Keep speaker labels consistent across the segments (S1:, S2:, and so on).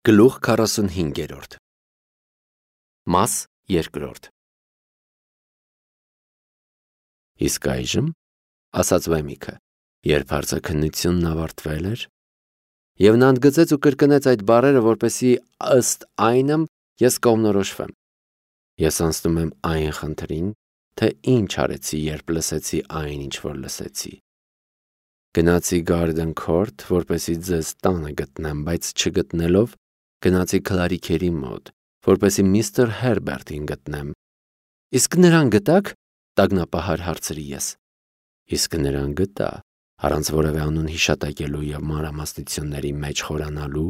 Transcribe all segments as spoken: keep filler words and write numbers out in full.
S1: Գլուխ քառասունհինգերորդ Մաս երկրորդ Իսկ այժմ, ասաց Վեմիքը, երբ հարցաքննությունն ավարտվել էր, և նա ընդգծեց ու կրկնեց այդ բառերը, որպեսզի ըստ այնմ ես կողմնորոշվեմ։ Ես անցնում եմ այն խնդրին, թե ինչ արեցի, երբ լսեցի այն, ինչ որ լսեցի։ Գնացի Garden Court, որպեսզի ձեզ տանը գտնեմ, բայց չգտնելով, գնացի Քլարիքերի մոտ, որպեսզի միստր Հերբերտին գտնեմ։ Իսկ նրան գտա՞ք, տագնապահար հարցրի ես։ Իսկ նրան գտա, առանց որևէ անուն հիշատակելու և մանրամասնությունների մեջ խորանալու,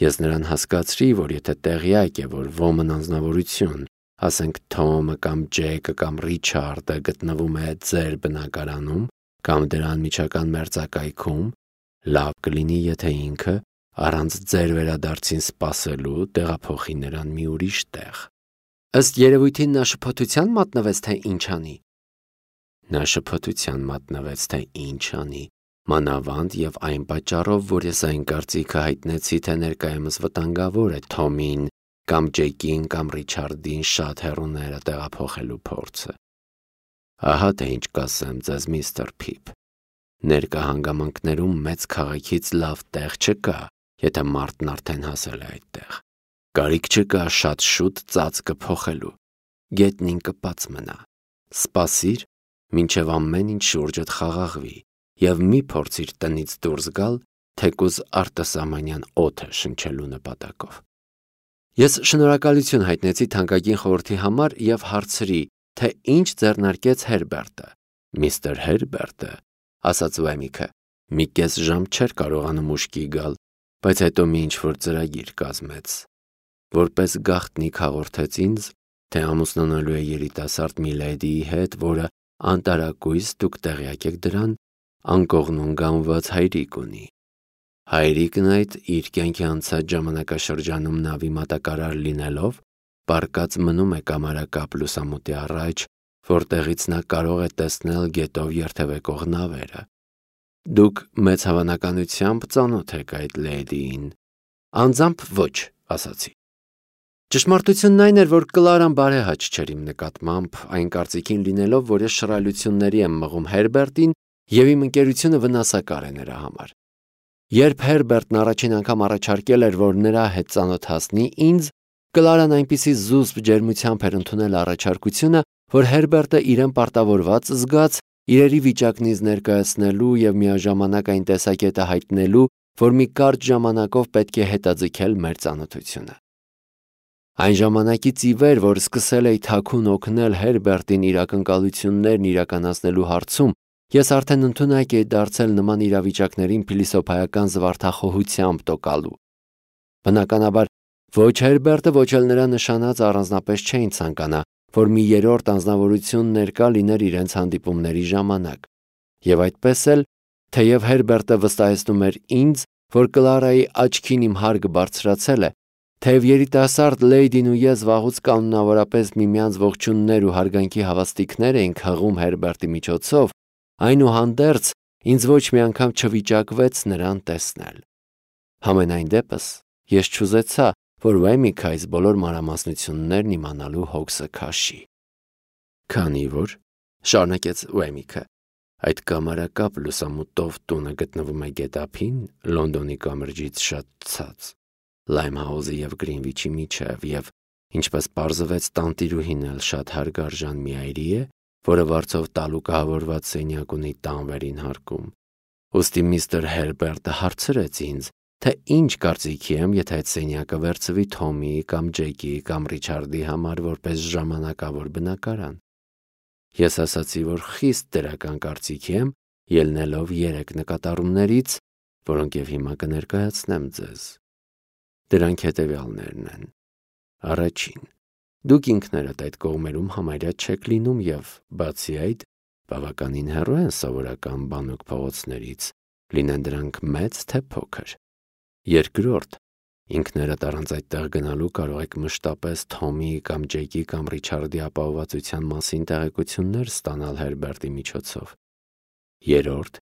S1: ես նրան հասկացրի, որ եթե տեղյակ է, որ ոմն անձնավորություն, ասենք Թոմը կամ Ջեյքը կամ Ռիչարդը գտնվում է ձեր բնակարանում կամ դրա անմիջական մերձակայքում, լավ կլինի, եթե ինքը, առանց ձեր վերադարձին սպասելու, տեղափոխի նրան մի ուրիշ տեղ։ Ըստ երևույթին նա շփոթության մատնվեց, թե ինչ անի։ Նա շփոթության մատնվեց, թե ինչ անի, մանավանդ և այն պատճառով, որ ես այն կարծիքը հայտնեցի, թե ներկայումս վտանգավոր է Թոմին կամ Ջեյքին կամ Ռիչարդին շատ հեռուները տեղափոխելու փորձը։ Ահա թե ինչ կասեմ ձեզ, միստր Փիփ։ Ներկա հանգամանքներում մեծ քաղաքից լավ տեղ չկա, եթե մարդն արդեն հասել է այդտեղ։ Կարիք չկա շատ շուտ ծածկը փոխելու։ Գետն կպած մնա։ Սպասիր, մինչև ամեն ինչ շուրջդ խաղաղվի, և մի փորձիր տնից դուրս գալ, թեկուզ արտասահմանյան օդը շնչելու նպատակով։ Ես շնորհակալություն հայտնեցի թանկագին խորհրդի համար և հարցրի, թե ինչ ձեռնարկեց Հերբերտը։ Միստր Հերբերտը, ասաց Վեմիքը, մի կես ժամ չէր կարողանում ուշքի գալ, բայց հետո մի ինչ-որ ծրագիր կազմեց։ Որպես գաղտնիք հաղորդեց ինձ, թե ամուսնանալու է երիտասարդ մի լեդիի հետ, որը անտարակույս, դուք տեղյակ եք դրան, անկողնուն գանված հայրիկ ունի։ Հայրիկն այդ իր կյանքի անցած ժամանակաշրջանում նավի մատակարար լինելով, պառկած մնում է կամարակապ լուսամուտի առաջ, որտեղից նա կարող է տեսնել գետով երթևեկող նավերը։ Դուք մեծ հավանականությամբ ծանոթ եք այդ լեդիին։ Անձամբ ոչ, ասացի։ Ճշմարտությունն այն էր, որ Կլարան բարեհաճ չէր իմ նկատմամբ, այն կարծիքին լինելով, որ ես շռայլությունների եմ մղում Հերբերտին և իմ ընկերությունը վնասակար է նրա համար։ Երբ Հերբերտն առաջին անգամ առաջարկել էր, որ նրա հետ ծանոթացնի ինձ, Կլարան այնպիսի զուսպ ջերմությամբ էր ընդունել առաջարկությունը, որ Հերբերտը իրեն պարտավորված զգաց իրերի վիճակն ինձ ներկայացնելու և միաժամանակ այն տեսակետը հայտնելու, որ մի կարճ ժամանակով պետք է հետաձգել մեր ծանոթությունը։ Այն ժամանակից ի վեր, որ սկսել էի թաքուն օգնել Հերբերտին իր ակնկալություններն իրականացնելու հարցում, ես արդեն ընդունակ էի դարձել նման իրավիճակներին փիլիսոփայական զվարթախոհությամբ տոկալու։ Բնականաբար, ոչ Հերբերտը, ոչ էլ նրա նշանած առանձնապես չէին ցանկանա, որ մի երրորդ անձնավորություն ներկա լիներ իրենց հանդիպումների ժամանակ։ Եվ այդպես էլ, թեև Հերբերտը վստահեցնում էր ինձ, որ Կլարայի աչքին իմ հարգը բարձրացել է, թեև երիտասարդ լեյդին ու ես վաղուց կանոնավորապես միմյանց ողջույններ ու հարգանքի հավաստիքներ էինք հղում Հերբերտի միջոցով, այնուհանդերձ ինձ ոչ մի անգամ չվիճակվեց նրան տեսնել։ Համենայն դեպս, ես չուզեցա, որ Վեմիքը այս բոլոր մանրամասնություններն իմանալու հոգսը քաշի։ Քանի որ, շարունակեց Վեմիքը, այդ կամարակապ լուսամուտով տունը գտնվում է գետափին, Լոնդոնի կամրջից շատ ցած, Լայմհաուզի և Գրինվիչի միջև, և, ինչպես պարզվեց, տանտիրուհին էլ շատ հարգարժան մի այրի է, որը վարձով տալուկահավորված սենյակ ունի տան վերին հարկում։ Ուստի միստր Հերբերտը հարցրեց ինձ, թե ինչ կարծիքի եմ, եթե այդ սենյակը վերցվի Թոմի կամ Ջեյքի կամ Ռիչարդի համար որպես ժամանակավոր բնակարան։ Ես ասացի, որ խիստ դրական կարծիքի եմ, ելնելով երեք նկատառումներից, որոնք և հիմա կներկայացնեմ ձեզ։ Դրանք հետևյալներն են. Առաջին, դուք ինքներդ այդ կողմերում համարյա չեք լինում և, բացի այդ, բավականին հեռու են սովորական բանուկ փողոցներից, լինեն դրանք մեծ թե փոքր։ Երկրորդ, ինքներդ առանց այդտեղ գնալու կարող եք մշտապես Թոմի կամ Ջեյքի կամ Ռիչարդի ապահովվածության մասին տեղեկություններ ստանալ Հերբերտի միջոցով։ Երրորդ,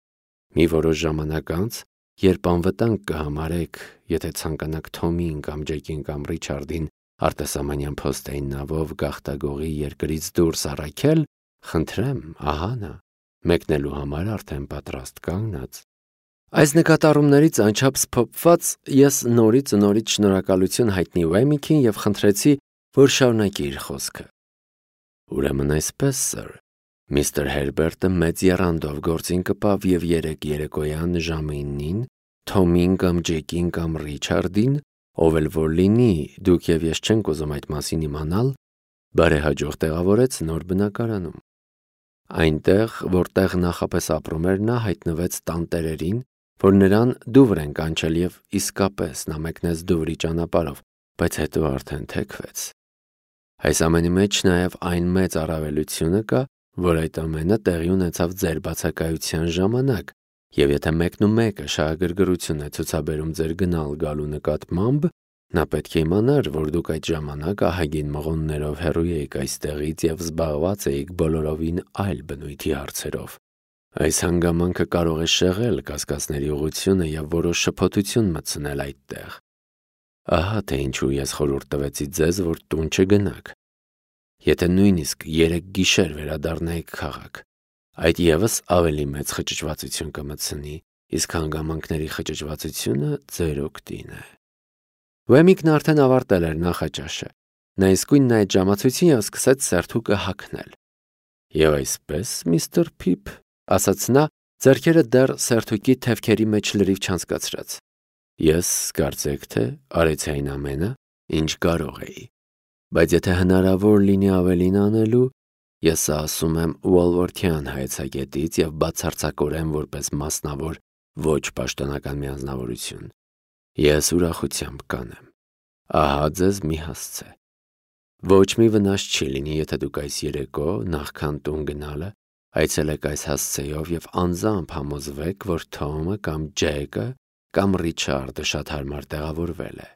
S1: մի որոշ ժամանակ անց, երբ անվտանգ կհամարեք, եթե ցանկանաք Թոմին կամ Ջեկին կամ Ռիչարդին արտասահմանյան փոստային նավով գաղթագողի երկրից դուրս առաքել, խնդրեմ, ահա նա, մեկնելու համար արդեն պատրաստ կանգնած։ Այս նկատառումներից անչափ սփոփված ես նորից ու նորից շնորհակալություն հայտնի Ուեմիքին եւ խնդրեցի, որ շարունակի իր խոսքը։ Ուրեմն այսպես, սըր, միստր Հերբերտը մեծ եռանդով գործին կպավ եւ երեք երեկոյան ժամը իննին Թոմին կամ Ջեկին կամ Ռիչարդին, ով էլ որ լինի, դուք եւ ես չենք ուզում այդ մասին իմանալ, բարեհաջող տեղավորեց նոր բնակարանում։ Այնտեղ, որտեղ նախապես ապրում էր նա, հայտնվեց տանտերերին, որ նրան դուվր են կանչել եւ իսկապես նա մեկնեց դուվրի ճանապարհով, բայց հետո արդեն թեքվեց։ Այս ամենի մեջ նաեւ այն մեծ առավելությունը կա, որ այդ ամենը տեղի ունեցավ ձեր բացակայության ժամանակ, եւ եթե մեկն ու մեկը շահագրգռություն է ցուցաբերում ձեր գնալ գալու նկատմամբ, նա պետք է իմանար, որ դուք այդ ժամանակ ահագին մղոններով հեռու էիք այստեղից եւ զբաղված էիք բոլորովին այլ բնույթի հարցերով։ Այս հանգամանքը կարող է շեղել կասկածների ուղղությունը եւ որոշ շփոթություն մտցնել այդտեղ։ Ահա թե ինչու ես խորհուրդ տվեցի ձեզ, որ տուն չգնաք։ Եթե նույնիսկ երեք գիշեր վերադառնայիք քաղաք, այդ եւս ավելի մեծ խճճվածություն կմտցնի, իսկ հանգամանքների խճճվածությունը ձեր օգտին է։ Ուեմիկն արդեն ավարտել էր նախաճաշը։ Նա իսկույն նայեց ժամացույցին եւ սկսեց սերթուկը հագնել։ Եվ այսպես, միստր Փիփ, ասաց նա, ձեռքերը դեռ սերթուկի թևքերի մեջ լրիվ չանցկացրած։ Ես կարծեք թե արեցի այն ամենը, ինչ կարող էի։ Բայց եթե հնարավոր լինի ավելին անելու, ես ասում եմ Ուոլվորթյան հայեցակետից եւ բացարձակորեն որպես մասնավոր ոչ պաշտոնական միանձնավորություն։ Ես ուրախությամբ կանեմ։ Ահա ձեզ մի հասցե։ Ոչ մի վնաս չի լինի, եթե դուք այս երեկո, նախքան տուն գնալը, այցելեք այս հասցեով եւ անձամբ համոզվեք, որ Թոմը կամ Ջեկը կամ Ռիչարդը շատ հարմար տեղավորվել է։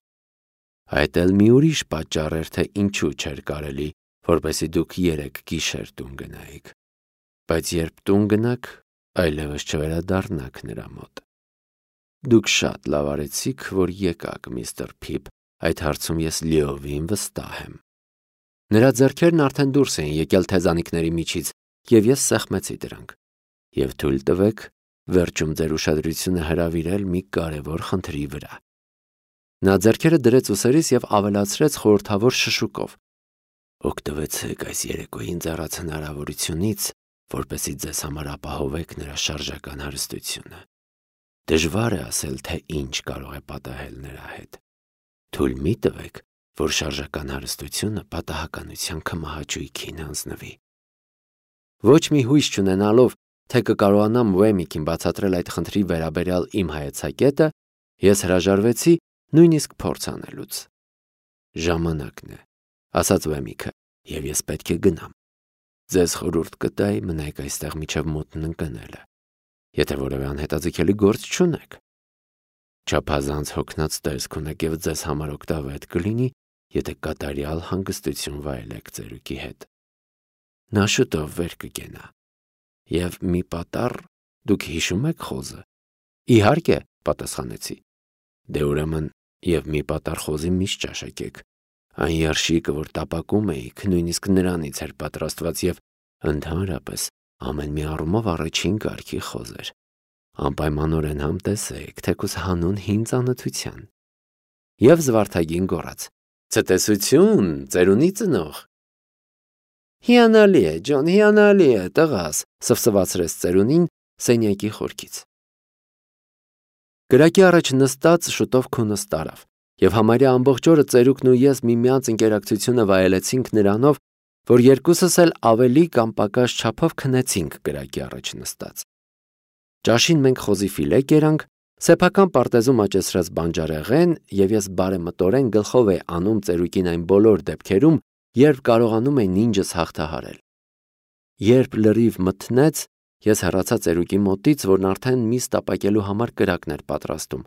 S1: Այդ էլ մի ուրիշ պատճառ էր, թե ինչու չէր կարելի, որպեսզի դուք երեք գիշեր տուն գնայիք։ Բայց երբ տուն գնաք, այլևս չվերադառնաք նրա մոտ։ Դուք շատ լավ արեցիք, որ եկաք, միստր Փիփ, այդ հարցում ես լիովին վստահ եմ։ Նրա ձեռքերն արդեն դուրս էին եկել թեզանիկների միջից, եւ ես սեղմեցի դրանք։ Եվ թույլ տվեք վերջում ձեր ուշադրությունը հրավիրել մի կարևոր խնդրի վրա։ Նա ձեռքերը դրեց ուսերից եւ ավելացրեց խորհրդավոր շշուկով. Օգտվեցեք այս երեկոյին ձեռած հնարավորությունից, որպեսզի ձեզ համար ապահովեք նրա շարժական հարստությունը։ Դժվար է ասել, թե ինչ կարող է պատահել նրա հետ։ Թույլ մի տվեք, որ շարժական հարստությունը պատահականության քմահաճույքին հանձնվի։ Ոչ մի հույս չունենալով, թե կկարողանամ Ուեմիկին բացատրել այդ խնդրի վերաբերյալ իմ հայեցակետը, ես հրաժարվեցի նույնիսկ փորձ անելուց։ Ժամանակն է, ասաց Ուեմիկը, եւ ես պետք է գնամ։ Ձեզ խորհուրդ կտայի մնայք այստեղ մինչև մութն ընկնելը, եթե որևէ անհետաձգելի գործ չունեք։ Չափազանց հոգնած տեսք ունեք եւ ձեզ համար օգտավետ կլինի, եթե կատարյալ հանգստություն վայելեք ծերուկի հետ։ Նա շուտով վեր կգենա։ Եվ մի պատառ, դուք հիշում եք խոզը։ Իհարկե, պատասխանեցի։ Դե ուրեմն եւ մի պատառ խոզի միշտ ճաշակեք։ Այն երշիկը, որ տապակում էիք, նույնիսկ նրանից էր պատրաստված եւ ընդհանրապես ամեն մի առումով առաջին կարգի խոզ էր։ Անպայմանորեն համտեսեք, թեկուզ հանուն հին ծանոթության։ Եվ զվարթագին գոռաց. Ցտեսություն, ծերունի ծնող։ Հիանալի է, Ջոն, հիանալի է, տղաս, սվսվացրեց ծերունին սենյակի խորքից։ Կրակի առաջ նստած շուտով քունս տարավ, եւ համարյա ամբողջ օրը ծերուկն ու ես միմյանց ընկերակցությունը վայելեցինք նրանով, որ երկուսս էլ ավելի կամ պակաս չափով քնեցինք կրակի առաջ նստած։ Ճաշին մենք խոզի ֆիլե կերանք, սեփական պարտեզում աճեցրած բանջարեղեն, եւ ես բարեմտորեն գլխով էի անում ծերուկին այն բոլոր դեպքերում, երբ կարողանում էի նինջս հաղթահարել։ Երբ լրիվ մթնեց, ես հեռացա ծերուկի մոտից, որն արդեն միս տապակելու համար կրակներ պատրաստում,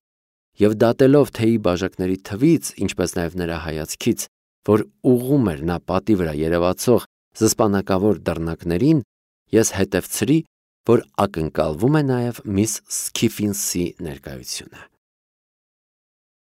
S1: եւ դատելով թեյի բաժակների թվից, ինչպես նաեւ նրա հայացքից, որ ուղում էր նա պատի վրա երևացող զսպանակավոր դռնակներին, ես հետևցրի, որ ակնկալվում է նաև միս Սքիֆինսի ներկայությունը։